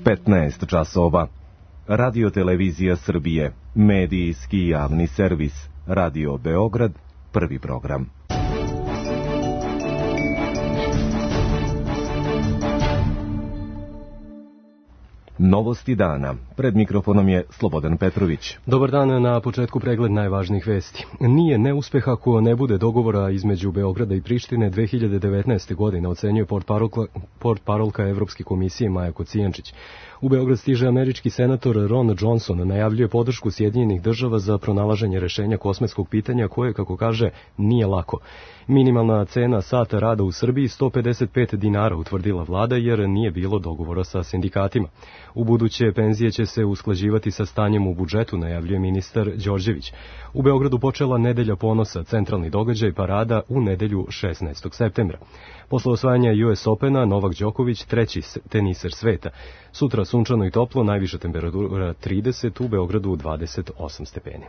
15 časova. Radio Televizija Srbije, medijski javni servis, Radio Beograd, prvi program. Novosti dana. Pred mikrofonom je Slobodan Petrović. Dobar dan, na početku pregled najvažnijih vesti. Nije neuspeh ako ne bude dogovora između Beograda i Prištine 2019. godine, ocenjuje portparolka Evropske komisije Maja Kocijančić. U Beograd stiže američki senator Ron Johnson, najavljuje podršku Sjedinjenih država za pronalaženje rešenja kosmetskog pitanja koje, kako kaže, nije lako. Minimalna cena sata rada u Srbiji 155 dinara, utvrdila vlada, jer nije bilo dogovora sa sindikatima. U buduće penzije će se usklađivati sa stanjem u budžetu, najavljuje ministar Đorđević. U Beogradu počela nedelja ponosa, centralni događaj parada u nedelju 16. septembra. Posle osvajanja US Opena, Novak Đoković, treći teniser sveta. Sutra sunčano i toplo, najviša temperatura 30, u Beogradu 28 stepeni.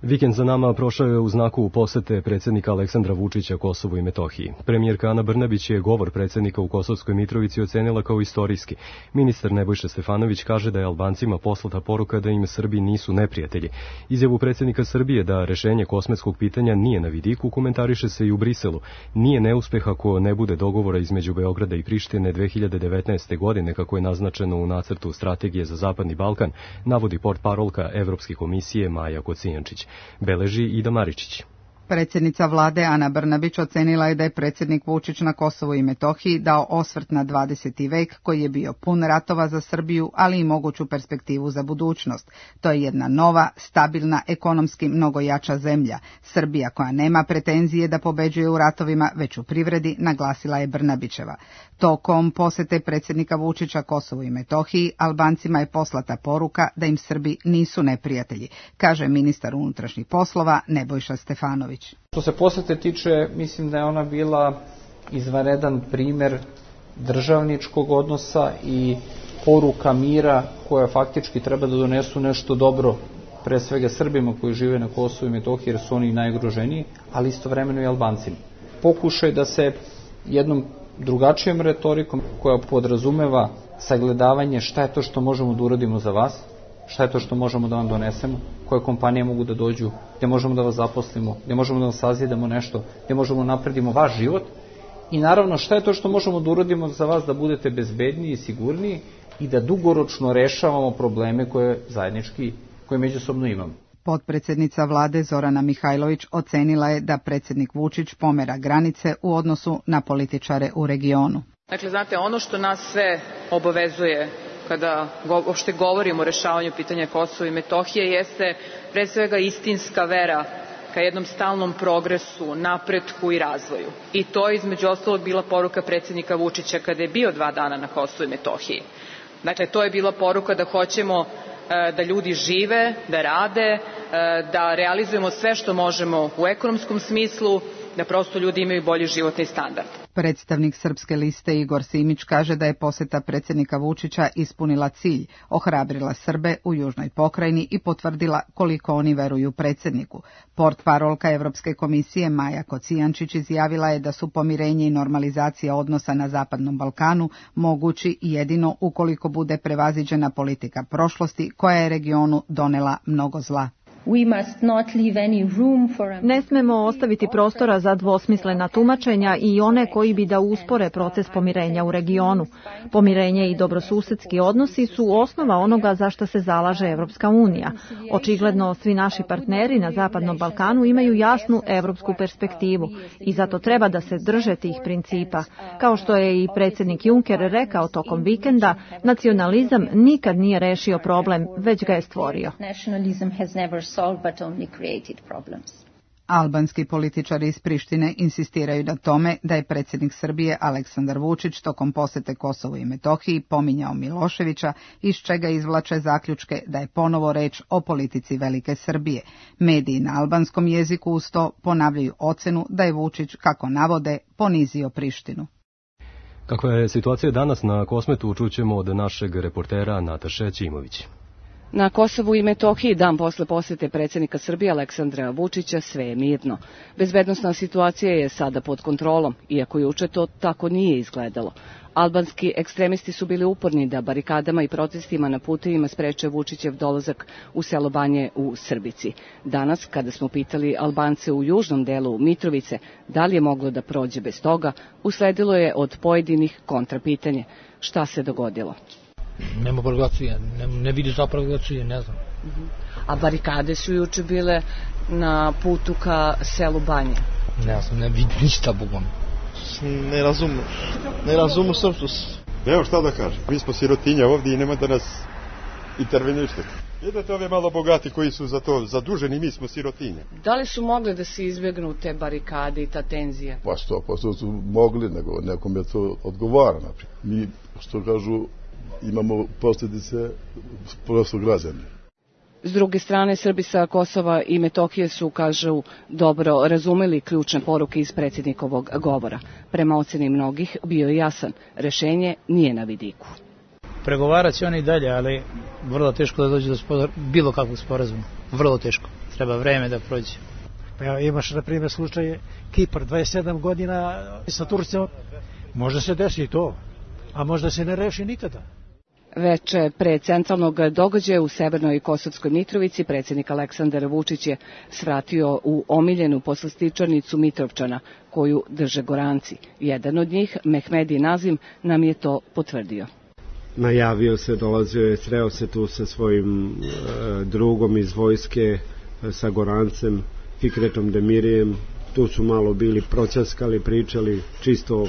Vikend za nama prošao je u znaku posete predsjednika Aleksandra Vučića Kosovu i Metohiji. Premijerka Ana Brnabić je govor predsjednika u Kosovskoj Mitrovici ocenila kao istorijski. Ministar Nebojša Stefanović kaže da je Albancima poslata poruka da im Srbi nisu neprijatelji. Izjavu predsjednika Srbije da rešenje kosmetskog pitanja nije na vidiku komentariše se i u Briselu. Nije neuspeh ako ne bude dogovora između Beograda i Prištine 2019. godine, kako je naznačeno u nacrtu strategije za Zapadni Balkan, navodi portparolka Evropske komisije Maja Kocijančić. Beleži Ida Maričić. Predsjednica vlade Ana Brnabić ocenila je da je predsjednik Vučić na Kosovu i Metohiji dao osvrt na 20. vek koji je bio pun ratova za Srbiju, ali i moguću perspektivu za budućnost. To je jedna nova, stabilna, ekonomski mnogo jača zemlja. Srbija koja nema pretenzije da pobeđuje u ratovima, već u privredi, naglasila je Brnabićeva. Tokom posete predsjednika Vučića Kosovu i Metohiji, Albancima je poslata poruka da im Srbi nisu neprijatelji, kaže ministar unutrašnjih poslova Nebojša Stefanović. Što se posete tiče, mislim da je ona bila izvanredan primjer državničkog odnosa i poruka mira koja faktički treba da donesu nešto dobro, pre svega Srbima koji žive na Kosovu i Metohiji, jer su oni najugroženiji, ali istovremeno i Albancima. Pokušaj da se jednom drugačijom retorikom koja podrazumeva sagledavanje šta je to što možemo da uradimo za vas, šta je to što možemo da vam donesemo, koje kompanije mogu da dođu, gdje možemo da vas zaposlimo, gdje možemo da vam sazidamo nešto, gdje možemo da napredimo vaš život i naravno šta je to što možemo da uradimo za vas da budete bezbedniji i sigurniji i da dugoročno rešavamo probleme koje zajednički, koje međusobno imamo. Potpredsjednica vlade Zorana Mihajlović ocenila je da predsjednik Vučić pomera granice u odnosu na političare u regionu. Dakle, znate, ono što nas sve obavezuje kada uopšte govorimo o rešavanju pitanja Kosova i Metohije jeste pre svega istinska vera ka jednom stalnom progresu, napretku i razvoju. I to je između ostalog bila poruka predsjednika Vučića kada je bio 2 dana na Kosovu i Metohiji. Dakle, to je bila poruka da hoćemo da ljudi žive, da rade, da realizujemo sve što možemo u ekonomskom smislu, da prosto ljudi imaju bolji životni standard. Predstavnik Srpske liste Igor Simić kaže da je poseta predsjednika Vučića ispunila cilj, ohrabrila Srbe u južnoj pokrajini i potvrdila koliko oni veruju predsjedniku. Portparolka Evropske komisije Maja Kocijančić izjavila je da su pomirenje i normalizacija odnosa na Zapadnom Balkanu mogući jedino ukoliko bude prevaziđena politika prošlosti koja je regionu donela mnogo zla. Ne smemo ostaviti prostora za dvosmislena tumačenja i one koji bi da uspore proces pomirenja u regionu. Pomirenje i dobrosusedski odnosi su osnova onoga za što se zalaže Evropska unija. Očigledno svi naši partneri na Zapadnom Balkanu imaju jasnu evropsku perspektivu i zato treba da se drže tih principa. Kao što je i predsjednik Juncker rekao tokom vikenda, nacionalizam nikad nije rešio problem, već ga je stvorio. Albanski političari iz Prištine insistiraju na tome da je predsjednik Srbije Aleksandar Vučić tokom posete Kosovu i Metohiji pominjao Miloševića, iz čega izvlače zaključke da je ponovo reč o politici Velike Srbije. Mediji na albanskom jeziku uz to ponavljaju ocenu da je Vučić, kako navode, ponizio Prištinu. Kakva je situacija danas na Kosmetu, čućemo od našeg reportera Nataše Ćimović. Na Kosovu i Metohiji dan posle posete predsjednika Srbije Aleksandra Vučića sve je mirno. Bezbednosna situacija je sada pod kontrolom, iako juče to tako nije izgledalo. Albanski ekstremisti su bili uporni da barikadama i protestima na putevima spreče Vučićev dolazak u selo Banje u Srbici. Danas, kada smo pitali Albance u južnom delu Mitrovice da li je moglo da prođe bez toga, usledilo je od pojedinih kontrapitanje. Šta se dogodilo? Nema provokacije, ne vidi za provokacije, ne znam. A barikade su juče bile na putu ka selu Banje? Ne znam, ne vidi ništa, bogom. Ne razumu srpsku. Evo šta da kažem, mi smo sirotinja ovdje i nema da nas intervenište. Jedete ove malo bogati koji su za to zaduženi, mi smo sirotinja. Da li su mogli da se izbjegnu te barikade i ta tenzija? Pa 100% su mogli, nego nekom je to odgovara. Mi, što kažu, imamo posljedice prosto građana. S druge strane, Srbi sa Kosova i Metohije su, kažu, dobro razumeli ključne poruke iz predsjednikovog govora. Prema oceni mnogih bio je jasan, rešenje nije na vidiku. Pregovarat će oni dalje, ali vrlo teško da dođe do bilo kakvog sporazuma. Vrlo teško. Treba vreme da prođe. Pa imaš, na primjer, slučaje Kipar, 27 godina sa Turcijom. Možda se desi to, a možda se ne reši nikada. Veče pre centralnog događaja u Severnoj Kosovskoj Mitrovici predsjednik Aleksandar Vučić je svratio u omiljenu poslastičarnicu Mitrovčana, koju drže Goranci. Jedan od njih, Mehmedi Nazim, nam je to potvrdio. Najavio se, dolazio je, sreo se tu sa svojim drugom iz vojske, sa Gorancem, Fikretom Demirijem. Tu su malo bili proćaskali, pričali čisto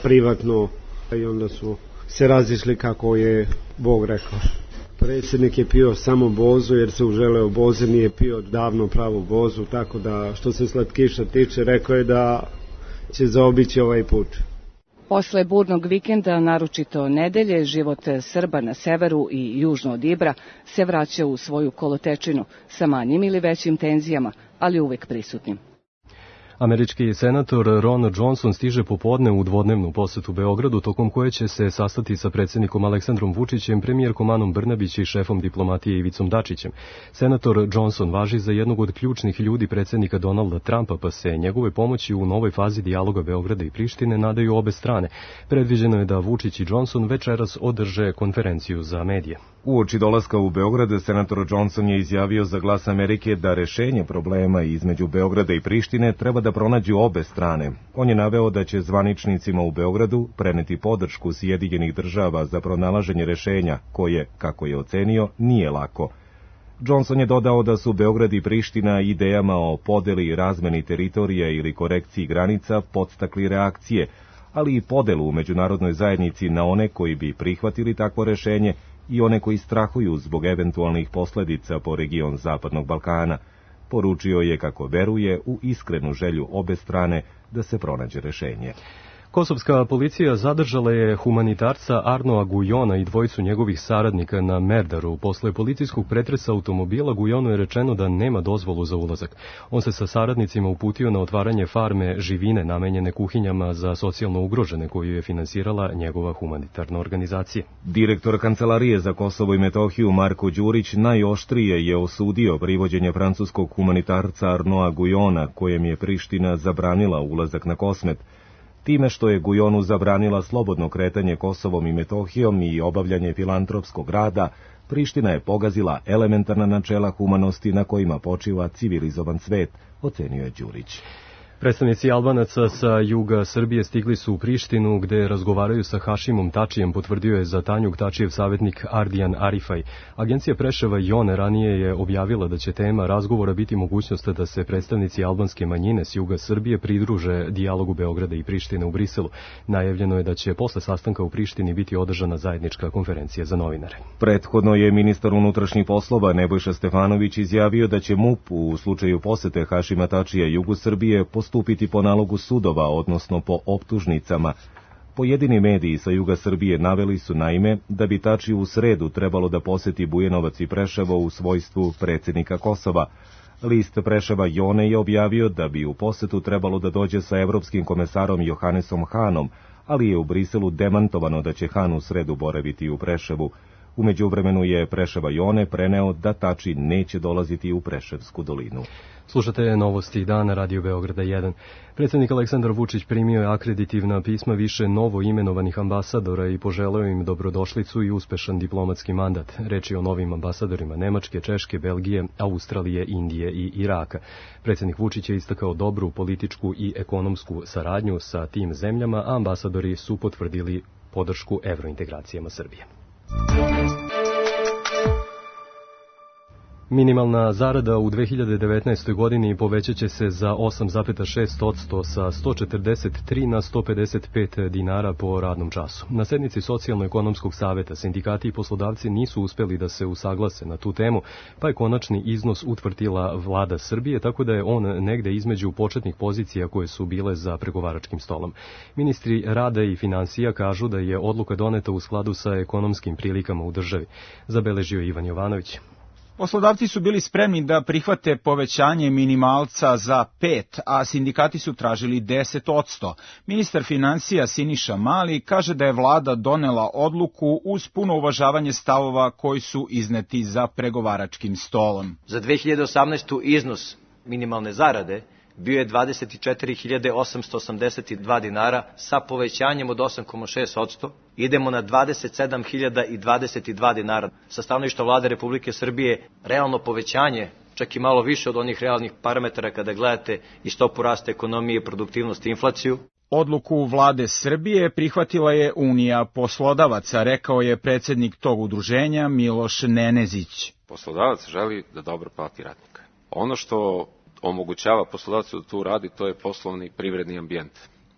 privatno i onda su se razišli kako je Bog rekao. Predsjednik je pio samo bozu jer se uželeo boze, nije pio davno pravu bozu, tako da što se slatkiša tiče, rekao je da će zaobići ovaj put. Posle burnog vikenda, naročito nedelje, život Srba na severu i južno od Ibra se vraća u svoju kolotečinu sa manjim ili većim tenzijama, ali uvek prisutnim. Američki senator Ron Johnson stiže popodne u dvodnevnu posetu Beogradu, tokom koje će se sastati sa predsjednikom Aleksandrom Vučićem, premijerkom Anom Brnabić i šefom diplomatije Ivicom Dačićem. Senator Johnson važi za jednog od ključnih ljudi predsjednika Donalda Trumpa, pa se njegove pomoći u novoj fazi dijaloga Beograda i Prištine nadaju obe strane. Predviđeno je da Vučić i Johnson večeras održe konferenciju za medije. Uoči dolaska u Beograd, senator Johnson je izjavio za Glas Amerike da rešenje problema između Beograda i Prištine treba da pronađu obe strane. On je naveo da će zvaničnicima u Beogradu preneti podršku Sjedinjenih država za pronalaženje rešenja, koje, kako je ocenio, nije lako. Johnson je dodao da su Beograd i Priština idejama o podeli i razmeni teritorija ili korekciji granica podstakli reakcije, ali i podelu u međunarodnoj zajednici na one koji bi prihvatili takvo rešenje i one koji strahuju zbog eventualnih posledica po region Zapadnog Balkana. Poručio je kako veruje u iskrenu želju obe strane da se pronađe rešenje. Kosovska policija zadržala je humanitarca Arnoa Gujona i dvojicu njegovih saradnika na Merdaru. Posle policijskog pretresa automobila Gujonu je rečeno da nema dozvolu za ulazak. On se sa saradnicima uputio na otvaranje farme živine namenjene kuhinjama za socijalno ugrožene, koju je finansirala njegova humanitarna organizacija. Direktor Kancelarije za Kosovo i Metohiju Marko Đurić najoštrije je osudio privođenje francuskog humanitarca Arnoa Gujona, kojem je Priština zabranila ulazak na Kosmet. Time što je Gujonu zabranila slobodno kretanje Kosovom i Metohijom i obavljanje filantropskog rada, Priština je pogazila elementarna načela humanosti na kojima počiva civilizovan svet, ocenio je Đurić. Predstavnici Albanaca sa juga Srbije stigli su u Prištinu, gde razgovaraju sa Hašimom Tačijem, potvrdio je za Tanjug Tačijev savjetnik Ardijan Arifaj. Agencija Preševa Jone ranije je objavila da će tema razgovora biti mogućnost da se predstavnici albanske manjine s juga Srbije pridruže dijalogu Beograda i Prištine u Briselu. Najavljeno je da će posle sastanka u Prištini biti održana zajednička konferencija za novinare. Prethodno je ministar unutrašnjih poslova Nebojša Stefanović izjavio da će MUP u slučaju posete Hašima Tačija jugu Srbije postupiti po nalogu sudova, odnosno po optužnicama. Pojedini mediji sa juga Srbije naveli su naime da bi Tačiju u sredu trebalo da poseti Bujanovac i Preševo u svojstvu predsjednika Kosova. List Preševa Jone je objavio da bi u posetu trebalo da dođe sa evropskim komesarom Johannesom Hanom, ali je u Briselu demantovano da će Han u sredu boraviti u Preševu. U međuvremenu je Preševa Jone preneo da Tači neće dolaziti u Preševsku dolinu. Slušate novosti dana Radio Beograda 1. Predsjednik Aleksandar Vučić primio je akreditivna pisma više novo imenovanih ambasadora i poželeo im dobrodošlicu i uspešan diplomatski mandat. Reč je o novim ambasadorima Nemačke, Češke, Belgije, Australije, Indije i Iraka. Predsjednik Vučić je istakao dobru političku i ekonomsku saradnju sa tim zemljama, a ambasadori su potvrdili podršku evrointegracijama Srbije. Minimalna zarada u 2019. godini povećat će se za 8,6% sa 143 na 155 dinara po radnom času. Na sednici Socijalno-ekonomskog saveta sindikati i poslodavci nisu uspeli da se usaglase na tu temu, pa je konačni iznos utvrdila vlada Srbije, tako da je on negde između početnih pozicija koje su bile za pregovaračkim stolom. Ministri rada i finansija kažu da je odluka doneta u skladu sa ekonomskim prilikama u državi. Zabeležio Ivan Jovanović. Poslodavci su bili spremni da prihvate povećanje minimalca za 5, a sindikati su tražili 10%. Ministar finansija Siniša Mali kaže da je vlada donela odluku uz puno uvažavanje stavova koji su izneti za pregovaračkim stolom. Za 2018. iznos minimalne zarade bio je 24.882 dinara sa povećanjem od 8,6%. Idemo na 27.022 dinara. Sa stanovišta vlade Republike Srbije realno povećanje, čak i malo više od onih realnih parametara kada gledate i stopu rasta ekonomije, produktivnost i inflaciju. Odluku vlade Srbije prihvatila je Unija poslodavaca, rekao je predsjednik tog udruženja Miloš Nenezić. Poslodavac želi da dobro plati radnika. Ono što omogućava poslodavcu da tu radi, to je poslovni privredni ambijent.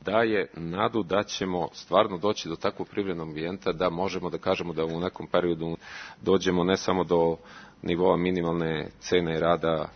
Daje nadu da ćemo stvarno doći do takvog privrednog ambijenta da možemo da kažemo da u nekom periodu dođemo ne samo do nivoa minimalne cene rada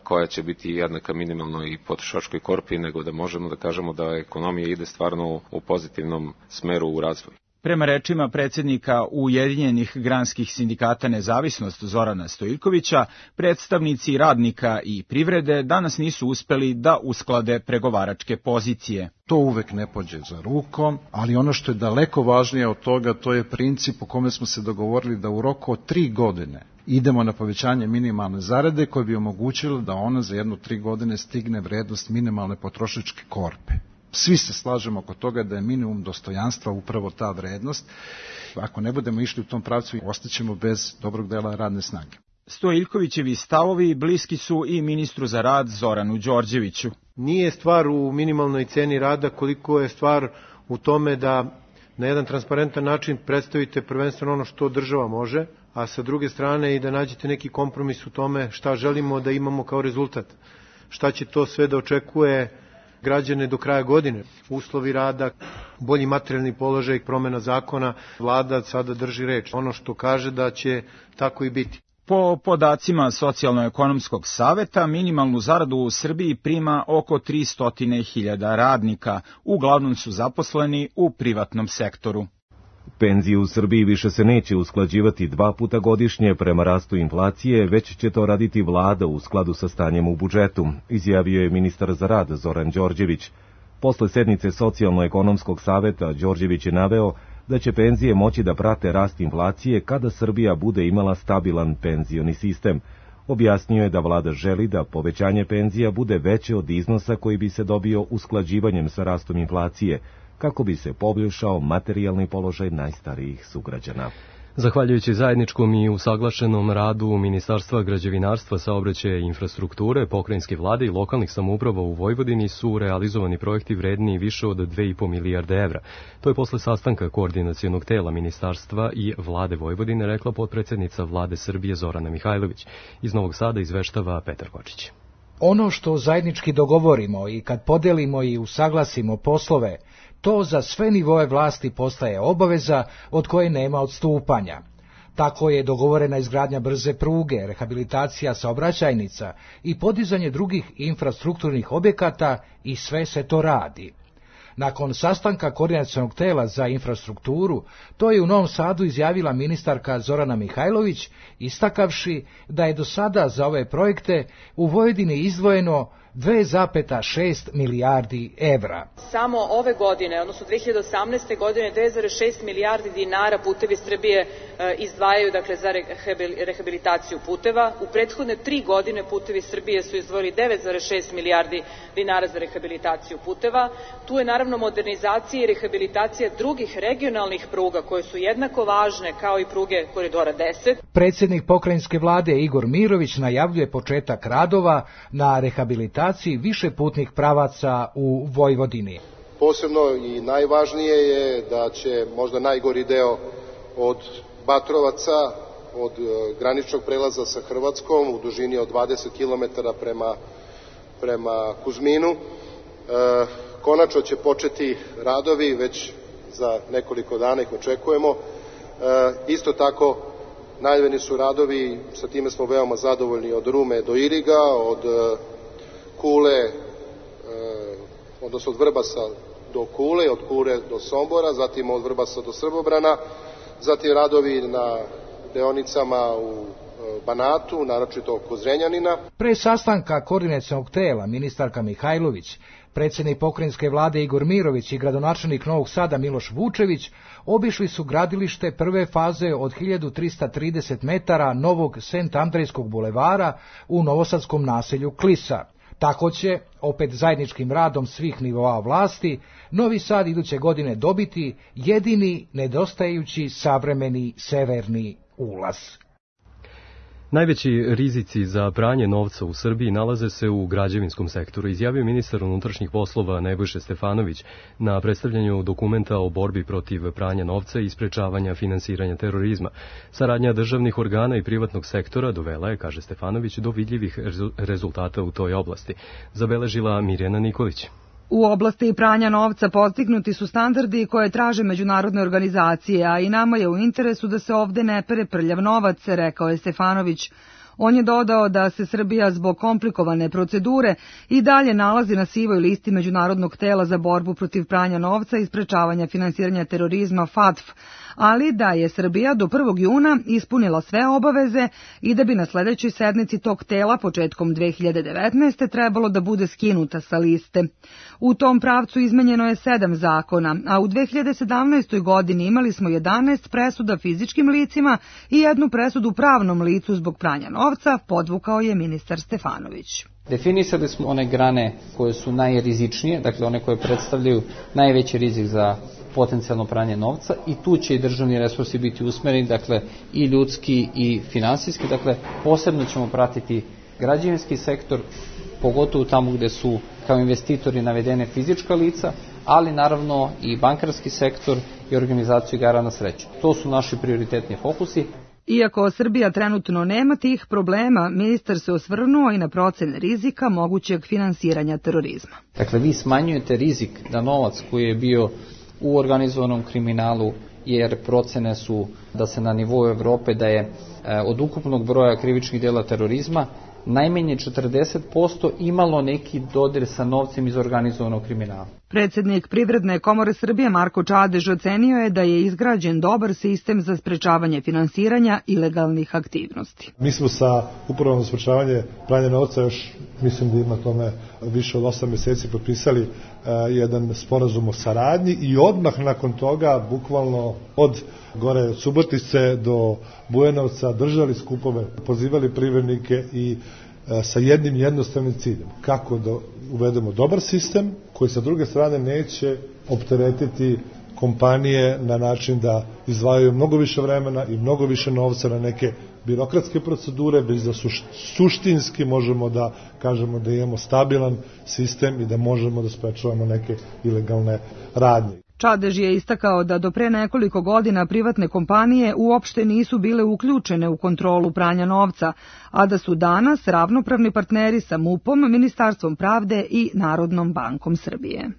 koja će biti jednaka minimalnoj i potrošačkoj korpi, nego da možemo da kažemo da ekonomija ide stvarno u pozitivnom smeru u razvoju. Prema rečima predsjednika Ujedinjenih granskih sindikata Nezavisnost Zorana Stojiljkovića, predstavnici radnika i privrede danas nisu uspeli da usklade pregovaračke pozicije. To uvek ne pođe za rukom, ali ono što je daleko važnije od toga, to je princip u kome smo se dogovorili da u roku od 3 godine idemo na povećanje minimalne zarade koje bi omogućilo da ona za 1-3 godine stigne vrednost minimalne potrošačke korpe. Svi se slažemo oko toga da je minimum dostojanstva upravo ta vrednost. Ako ne budemo išli u tom pravcu, ostaćemo bez dobrog dela radne snage. Stojiljkovićevi stavovi bliski su i ministru za rad Zoranu Đorđeviću. Nije stvar u minimalnoj ceni rada koliko je stvar u tome da na jedan transparentan način predstavite prvenstveno ono što država može, a sa druge strane i da nađete neki kompromis u tome šta želimo da imamo kao rezultat. Šta će to sve da očekuje građane do kraja godine, uslovi rada, bolji materijalni položaj, promjena zakona, vlada sada drži reč. Ono što kaže da će tako i biti. Po podacima Socijalno-ekonomskog saveta, minimalnu zaradu u Srbiji prima oko 300.000 radnika, uglavnom su zaposleni u privatnom sektoru. Penzije u Srbiji više se neće usklađivati 2 puta godišnje prema rastu inflacije, već će to raditi vlada u skladu sa stanjem u budžetu, izjavio je ministar za rad Zoran Đorđević. Posle sednice Socijalno-ekonomskog saveta Đorđević je naveo da će penzije moći da prate rast inflacije kada Srbija bude imala stabilan penzioni sistem. Objasnio je da vlada želi da povećanje penzija bude veće od iznosa koji bi se dobio usklađivanjem sa rastom inflacije, kako bi se poboljšao materijalni položaj najstarijih sugrađana. Zahvaljujući zajedničkom i usaglašenom radu Ministarstva građevinarstva, saobraćaja i infrastrukture, pokrajinske vlade i lokalnih samouprava u Vojvodini su realizovani projekti vredni više od 2,5 milijarde evra. To je posle sastanka koordinacionog tela Ministarstva i vlade Vojvodine, rekla potpredsednica vlade Srbije Zorana Mihajlović. Iz Novog Sada izveštava Petar Kočić. Ono što zajednički dogovorimo i kad podelimo i usaglasimo poslove, to za sve nivoe vlasti postaje obaveza od koje nema odstupanja. Tako je dogovorena izgradnja brze pruge, rehabilitacija saobraćajnica i podizanje drugih infrastrukturnih objekata i sve se to radi. Nakon sastanka koordinacionog tela za infrastrukturu, to je u Novom Sadu izjavila ministarka Zorana Mihajlović, istakavši da je do sada za ove projekte u Vojvodini izdvojeno 2,6 milijardi evra. Samo ove godine, odnosno 2018. godine, 2,6 milijardi dinara Putevi Srbije izdvajaju za rehabilitaciju puteva. U prethodne 3 godine Putevi Srbije su izdvojili 9,6 milijardi dinara za rehabilitaciju puteva. Tu je naravno modernizacija i rehabilitacija drugih regionalnih pruga koje su jednako važne kao i pruge Koridora 10. Predsjednik pokrajinske vlade Igor Mirović najavljuje početak radova na rehabilitaciji više putnih pravaca u Vojvodini. Posebno i najvažnije je da će možda najgori deo od Batrovaca, od graničnog prelaza sa Hrvatskom u dužini od 20 km prema Kuzminu. Konačno će početi radovi, već za nekoliko dana ih očekujemo. Isto tako najavljeni su radovi, sa time smo veoma zadovoljni, od Rume do Iriga, od Kule, odnosno od Vrbasa do Kule, od Kule do Sombora, zatim od Vrbasa do Srbobrana, zatim radovi na deonicama u Banatu, naročito kod Zrenjanina. Pre sastanka koordinacionog tela ministarka Mihajlović, predsjednik pokrajinske vlade Igor Mirović i gradonačelnik Novog Sada Miloš Vučević obišli su gradilište prve faze od 1330 metara novog Sent Andrejskog bulevara u novosadskom naselju Klisa. Tako će, opet zajedničkim radom svih nivoa vlasti, Novi Sad iduće godine dobiti jedini nedostajući savremeni severni ulaz. Najveći rizici za pranje novca u Srbiji nalaze se u građevinskom sektoru, izjavio ministar unutrašnjih poslova Nebojša Stefanović na predstavljanju dokumenta o borbi protiv pranja novca i sprečavanja finansiranja terorizma. Saradnja državnih organa i privatnog sektora dovela je, kaže Stefanović, do vidljivih rezultata u toj oblasti. Zabeležila Mirjana Nikolić. U oblasti pranja novca postignuti su standardi koje traže međunarodne organizacije, a i nama je u interesu da se ovde ne pere prljav novac, rekao je Stefanović. On je dodao da se Srbija zbog komplikovane procedure i dalje nalazi na sivoj listi Međunarodnog tela za borbu protiv pranja novca i sprečavanja finansiranja terorizma FATF, ali da je Srbija do 1. juna ispunila sve obaveze i da bi na sledećoj sednici tog tela početkom 2019. trebalo da bude skinuta sa liste. U tom pravcu izmenjeno je 7 zakona, a u 2017. godini imali smo 11 presuda fizičkim licima i 1 presudu pravnom licu zbog pranja novca, podvukao je ministar Stefanović. Definisali smo one grane koje su najrizičnije, dakle one koje predstavljaju najveći rizik za potencijalno pranje novca, i tu će i državni resursi biti usmereni, dakle i ljudski i finansijski, dakle posebno ćemo pratiti građevinski sektor, pogotovo tamo gde su kao investitori navedene fizička lica, ali naravno i bankarski sektor i organizaciju igara na sreću. To su naši prioritetni fokusi. Iako Srbija trenutno nema tih problema, ministar se osvrnuo i na procene rizika mogućeg finansiranja terorizma. Dakle, vi smanjujete rizik da novac koji je bio u organizovanom kriminalu, jer procene su da se na nivou Evrope da je od ukupnog broja krivičnih dela terorizma najmanje 40% imalo neki dodir sa novcem iz organizovanog kriminala. Predsjednik Privredne komore Srbije Marko Čadež ocenio je da je izgrađen dobar sistem za sprečavanje finansiranja ilegalnih aktivnosti. Mi smo sa Upravom za sprečavanje pranja novca još, mislim da ima tome više od 8 meseci, potpisali jedan sporazum o saradnji i odmah nakon toga, bukvalno od gore od Subotice do Bujanovca, držali skupove, pozivali privrednike i sa jednim jednostavnim ciljem, kako da uvedemo dobar sistem koji sa druge strane neće opteretiti kompanije na način da izdvajaju mnogo više vremena i mnogo više novca na neke birokratske procedure, već da suštinski možemo da kažemo da imamo stabilan sistem i da možemo da sprečavamo neke ilegalne radnje. Čadež je istakao da do pre nekoliko godina privatne kompanije uopšte nisu bile uključene u kontrolu pranja novca, a da su danas ravnopravni partneri sa MUP-om, Ministarstvom pravde i Narodnom bankom Srbije.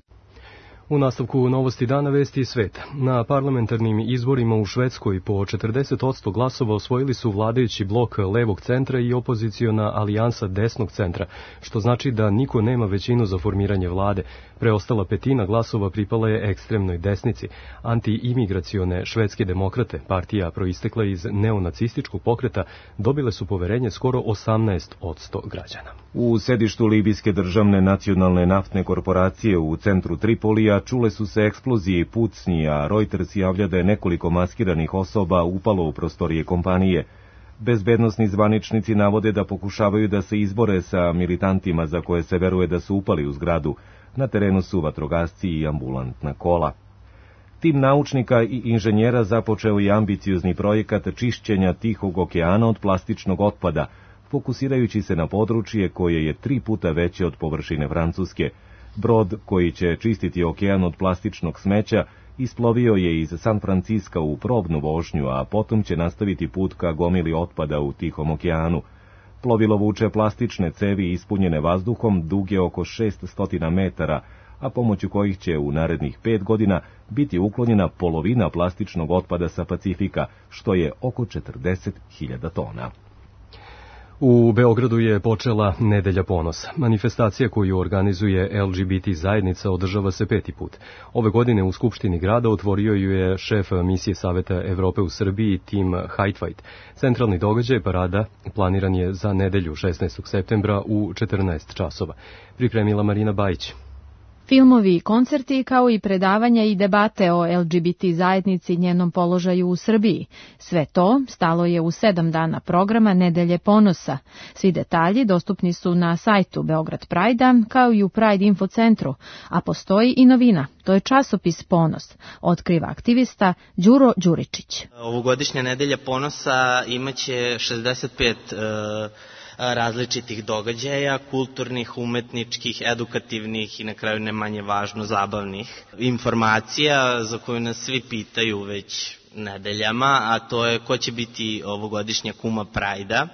U nastavku novosti dana vesti iz sveta. Na parlamentarnim izborima u Švedskoj po 40% glasova osvojili su vladajući blok levog centra i opoziciona alijansa desnog centra, što znači da niko nema većinu za formiranje vlade. Preostala petina glasova pripala je ekstremnoj desnici. Anti-imigracione švedske demokrate, partija proistekla iz neonacističkog pokreta, dobile su poverenje skoro 18% građana. U sedištu Libijske državne nacionalne naftne korporacije u centru Tripolija čule su se eksplozije i pucnji, a Reuters javlja da je nekoliko maskiranih osoba upalo u prostorije kompanije. Bezbednosni zvaničnici navode da pokušavaju da se izbore sa militantima za koje se veruje da su upali u zgradu. Na terenu su vatrogasci i ambulantna kola. Tim naučnika i inženjera započeo je ambiciozni projekat čišćenja Tihog okeana od plastičnog otpada, fokusirajući se na područje koje je 3 puta veće od površine Francuske. Brod koji će čistiti okean od plastičnog smeća isplovio je iz San Franciska u probnu vožnju, a potom će nastaviti put ka gomili otpada u Tihom okeanu. Plovilo vuče plastične cevi ispunjene vazduhom duge oko 600 metara, a pomoću kojih će u narednih 5 godina biti uklonjena polovina plastičnog otpada sa Pacifika, što je oko 40.000 tona. U Beogradu je počela Nedelja ponosa. Manifestacija koju organizuje LGBT zajednica održava se 5. put. Ove godine u Skupštini grada otvorio ju je šef misije Saveta Evrope u Srbiji Tim Hajtvajt. Centralni događaj parada planiran je za nedelju 16. septembra u 14 časova. Pripremila Marina Bajić. Filmovi i koncerti, kao i predavanja i debate o LGBT zajednici i njenom položaju u Srbiji. Sve to stalo je u 7 dana programa Nedelje ponosa. Svi detalji dostupni su na sajtu Beograd Prajda, kao i u Pride Info centru, a postoji i novina. To je časopis Ponos, otkriva aktivista Đuro Đuričić. Ovogodišnja Nedelja ponosa imaće 65 različitih događaja, kulturnih, umetničkih, edukativnih i na kraju ne manje važno zabavnih informacija za koju nas svi pitaju već nedeljama, a to je ko će biti ovogodišnja kuma Prajda.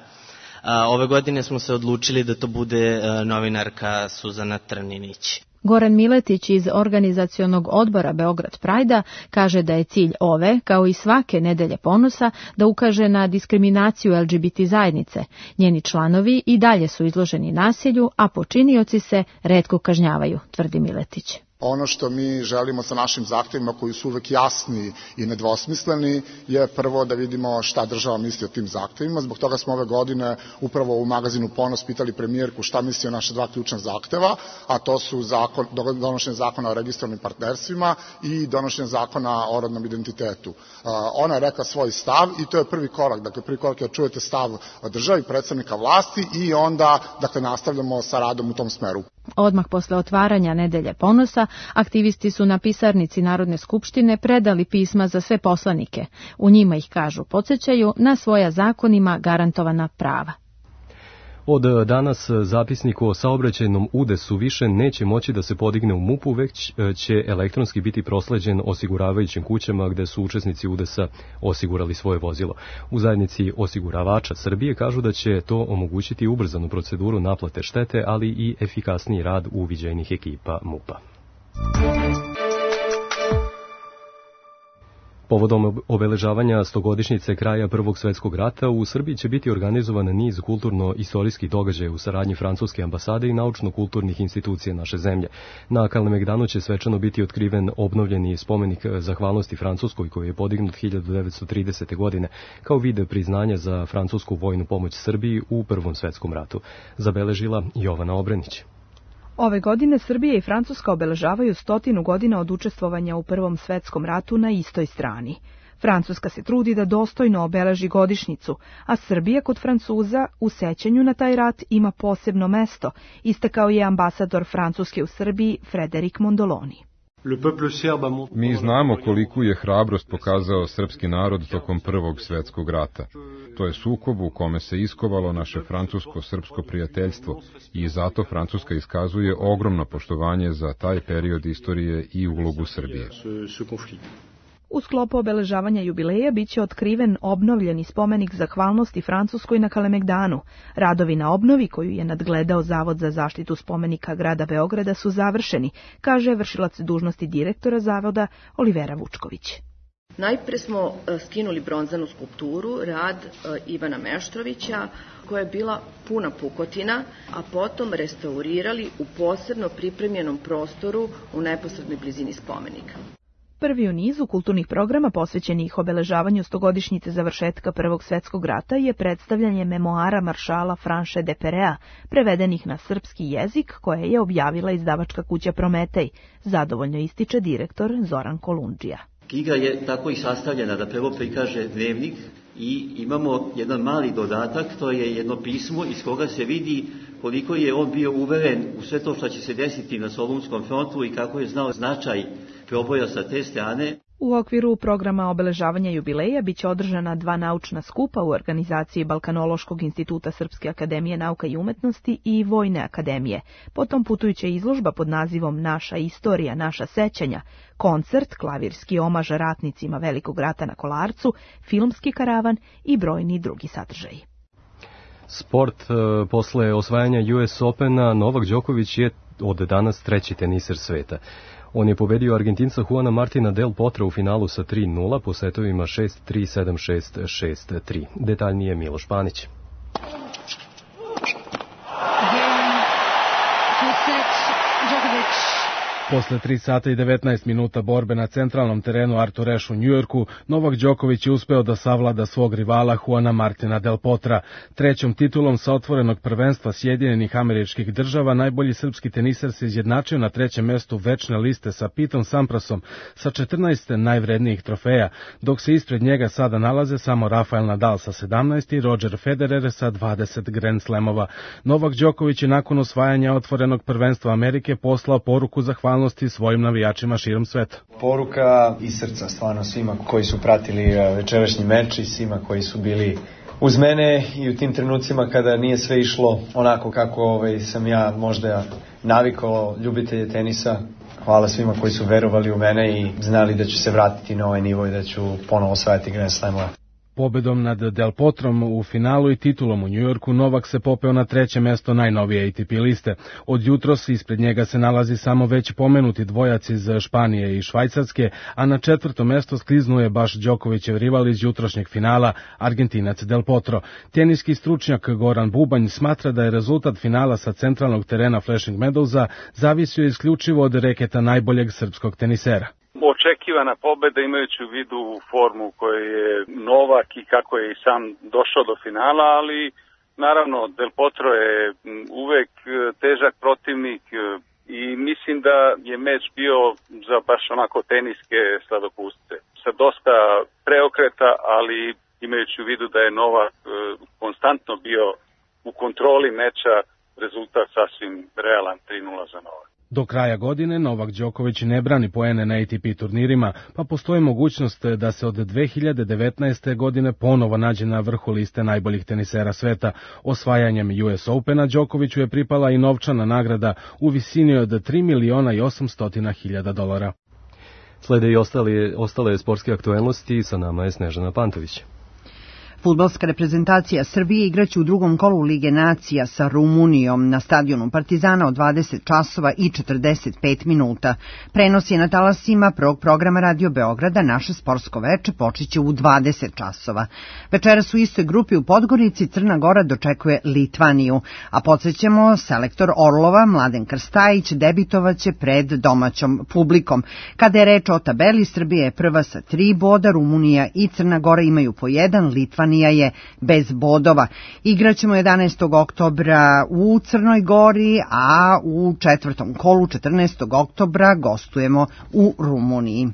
Ove godine smo se odlučili da to bude novinarka Suzana Trninić. Goran Miletić iz organizacionog odbora Beograd Prajda kaže da je cilj ove, kao i svake Nedelje ponosa, da ukaže na diskriminaciju LGBT zajednice. Njeni članovi i dalje su izloženi nasilju, a počinioci se retko kažnjavaju, tvrdi Miletić. Ono što mi želimo sa našim zahtevima, koji su uvek jasni i nedvosmisleni, je prvo da vidimo šta država misli o tim zahtevima. Zbog toga smo ove godine upravo u magazinu Ponos pitali premijerku šta misli o naše 2 ključna zahteva, a to su donošenje zakona o registrovanim partnerstvima i donošenje zakona o rodnom identitetu. Ona je rekla svoj stav i to je prvi korak. Dakle, prvi korak je da čujete stav države i predstavnika vlasti i onda nastavljamo sa radom u tom smeru. Odmah posle otvaranja Nedelje ponosa, aktivisti su na pisarnici Narodne skupštine predali pisma za sve poslanike. U njima ih, kažu, podsjećaju na svoja zakonima garantovana prava. Od danas zapisnik o saobraćajnom udesu više neće moći da se podigne u MUP-u, već će elektronski biti prosleđen osiguravajućim kućama gde su učesnici udesa osigurali svoje vozilo. U zajednici osiguravača Srbije kažu da će to omogućiti ubrzanu proceduru naplate štete, ali i efikasniji rad uviđajnih ekipa MUP-a. Povodom obeležavanja 100-godišnjice kraja Prvog svetskog rata u Srbiji će biti organizovan niz kulturno-istorijskih događaja u saradnji Francuske ambasade i naučno-kulturnih institucija naše zemlje. Na Kalemegdanu će svečano biti otkriven obnovljeni spomenik zahvalnosti Francuskoj koji je podignut 1930. godine kao vid priznanja za francusku vojnu pomoć Srbiji u Prvom svetskom ratu. Zabeležila Jovana Obrenić. Ove godine Srbija i Francuska obeležavaju 100 godina od učestvovanja u Prvom svetskom ratu na istoj strani. Francuska se trudi da dostojno obeleži godišnjicu, a Srbija kod Francuza u sećanju na taj rat ima posebno mesto, istakao je ambasador Francuske u Srbiji Frederik Mondoloni. Mi znamo koliku je hrabrost pokazao srpski narod tokom Prvog svetskog rata. To je sukob u kome se iskovalo naše francusko-srpsko prijateljstvo i zato Francuska iskazuje ogromno poštovanje za taj period istorije i ulogu Srbije. U sklopu obeležavanja jubileja biće otkriven obnovljeni spomenik zahvalnosti Francuskoj na Kalemegdanu. Radovi na obnovi, koju je nadgledao Zavod za zaštitu spomenika grada Beograda, su završeni, kaže vršilac dužnosti direktora zavoda Olivera Vučković. Najpre smo skinuli bronzanu skulpturu, rad Ivana Meštrovića, koja je bila puna pukotina, a potom restaurirali u posebno pripremljenom prostoru u neposrednoj blizini spomenika. Prvi u nizu kulturnih programa posvećenih obeležavanju 100-godišnjice završetka Prvog svjetskog rata je predstavljanje memoara maršala Franše de Perea, prevedenih na srpski jezik, koje je objavila izdavačka kuća Prometej, zadovoljno ističe direktor Zoran Kolundžija. Knjiga je tako i sastavljena da prvo prikaže dnevnik i imamo jedan mali dodatak, to je jedno pismo iz koga se vidi koliko je on bio uveren u sve to što će se desiti na Solunskom frontu i kako je znao značaj proboja sa te strane. U okviru programa obeležavanja jubileja biće održana 2 naučna skupa u organizaciji Balkanološkog instituta Srpske akademije nauka i umetnosti i Vojne akademije. Potom putujuća izložba pod nazivom Naša istorija, naša sećanja, koncert, klavirski omaž ratnicima Velikog rata na Kolarcu, filmski karavan i brojni drugi sadržaji. Sport. Posle osvajanja US Opena, Novak Đoković je od danas treći teniser sveta. On je pobedio Argentinca Juana Martina Del Potra u finalu sa 3-0 po setovima 6-3, 7-6, 6-3. Detaljnije Miloš Panić. Posle 3 sata i 19 minuta borbe na centralnom terenu Arthur Ashe u Njujorku, Novak Đoković je uspeo da savlada svog rivala Juana Martina Del Potra. Trećom titulom sa otvorenog prvenstva Sjedinjenih Američkih Država najbolji srpski teniser se izjednačio na trećem mestu večne liste sa Pitom Samprasom sa 14 najvrednijih trofeja, dok se ispred njega sada nalaze samo Rafael Nadal sa 17 i Roger Federer sa 20 Grand Slamova. Novak Đoković je nakon osvajanja otvorenog prvenstva Amerike poslao poruku zahvalnosti svojim navijačima širom sveta. Poruka iz srca stvarno svima koji su pratili večerašnji meč i svima koji su bili uz mene i u tim trenucima kada nije sve išlo onako kako sam ja možda navikao ljubitelje tenisa. Hvala svima koji su verovali u mene i znali da ću se vratiti na ovaj nivo i da ću ponovo osvajati Grand Slamova. Pobedom nad Del Potrom u finalu i titulom u Njujorku, Novak se popeo na treće mesto najnovije ATP liste. Od jutros ispred njega se nalazi samo već pomenuti dvojac iz Španije i Švajcarske, a na četvrto mesto skliznuje baš Đokovićev rival iz jutrošnjeg finala, Argentinac Del Potro. Teniski stručnjak Goran Bubanj smatra da je rezultat finala sa centralnog terena Flushing Meadowsa zavisio isključivo od reketa najboljeg srpskog tenisera. Očekivana pobeda imajući u vidu formu koju je Novak i kako je i sam došao do finala, ali naravno Del Potro je uvek težak protivnik i mislim da je meč bio za baš onako teniske sladokusce. Sa dosta preokreta, ali imajući u vidu da je Novak konstantno bio u kontroli meča, rezultat sasvim realan 3-0 za Novak. Do kraja godine Novak Đoković ne brani poene na ATP turnirima, pa postoji mogućnost da se od 2019. godine ponovo nađe na vrhu liste najboljih tenisera sveta. Osvajanjem US Opena Đokoviću je pripala i novčana nagrada u visini od $3.800.000. Slede i ostale sportske aktuelnosti, sa nama je Snežana Pantović. Fudbalska reprezentacija Srbije igraće u drugom kolu Lige nacija sa Rumunijom na stadionu Partizana od 20 časova i 45 minuta. Prenos je na talasima prvog programa Radio Beograda. Naše sportsko veče počeće u 20 časova. Večeras u istoj grupi u Podgorici Crna Gora dočekuje Litvaniju, a podsjećamo, selektor Orlova Mladen Krstajić debitovaće pred domaćom publikom. Kada je reč o tabeli, Srbija je prva sa 3 boda, Rumunija i Crna Gora imaju po 1, Litvanija je bez bodova. Igraćemo 11. oktobra u Crnoj Gori, a u četvrtom kolu 14. oktobra gostujemo u Rumuniji.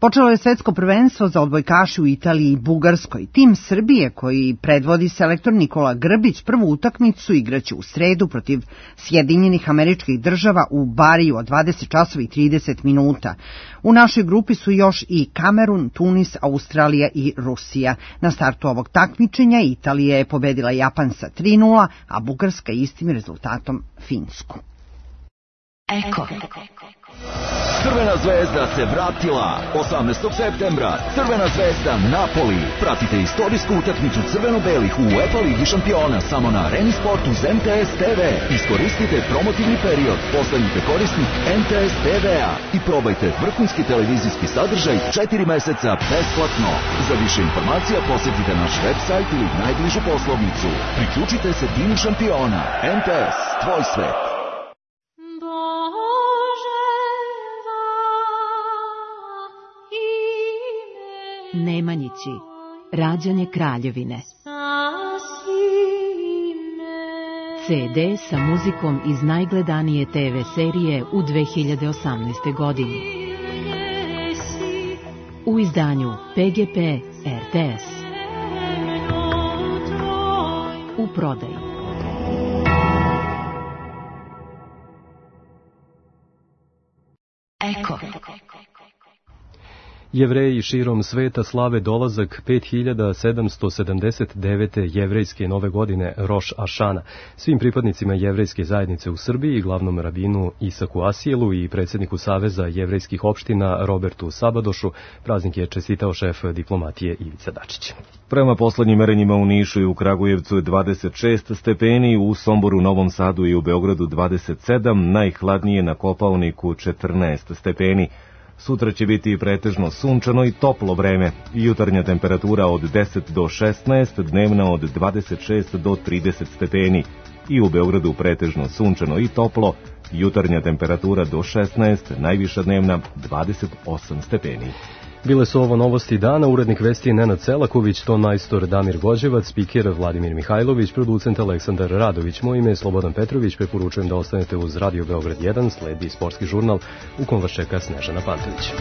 Počelo je svetsko prvenstvo za odbojkaše u Italiji i Bugarskoj. Tim Srbije, koji predvodi selektor Nikola Grbić, prvu utakmicu igraće u sredu protiv Sjedinjenih Američkih Država u Bariju od 20 časova i 30 minuta. U našoj grupi su još i Kamerun, Tunis, Australija i Rusija. Na startu ovog takmičenja Italija je pobedila Japan sa 3-0, a Bugarska istim rezultatom Finsku. Eko. Crvena zvezda se vratila. 18. septembra Crvena zvezda Napoli. Pratite istorijsku utakmicu crveno-belih u UEFA Ligi šampiona samo na Areni Sportu uz MTS TV. Iskoristite promotivni period, postanite korisnik MTS TV-a i probajte vrhunski televizijski sadržaj 4 meseca besplatno. Za više informacija posjetite naš website ili najbližu poslovnicu. Priključite se timu šampiona. MTS, tvoj svet. Nemanjići, rađanje kraljevine. CD sa muzikom iz najgledanije TV serije u 2018. godini. U izdanju PGP RTS. U prodaji. Eko. Jevreji širom sveta slave dolazak 5779. jevrejske nove godine Roš Ašana. Svim pripadnicima jevrejske zajednice u Srbiji, glavnom rabinu Isaku Asijelu i predsjedniku Saveza jevrejskih opština Robertu Sabadošu, praznik je čestitao šef diplomatije Ivica Dačić. Prema poslednjim merenjima u Nišu i u Kragujevcu je 26 stepeni, u Somboru, Novom Sadu i u Beogradu 27, najhladnije na Kopaoniku 14 stepeni. Sutra će biti pretežno sunčano i toplo vreme. Jutarnja temperatura od 10 do 16, dnevna od 26 do 30 stepeni. I u Beogradu pretežno sunčano i toplo, jutarnja temperatura do 16, najviša dnevna 28 stepeni. Bile su ovo novosti dana, urednik vesti Nenad Selaković, ton majstor Damir Gođevac, spiker Vladimir Mihajlović, producent Aleksandar Radović. Moje ime je Slobodan Petrović, preporučujem da ostanete uz Radio Beograd 1, sledi sportski žurnal u kom vas čeka Snežana Pantović.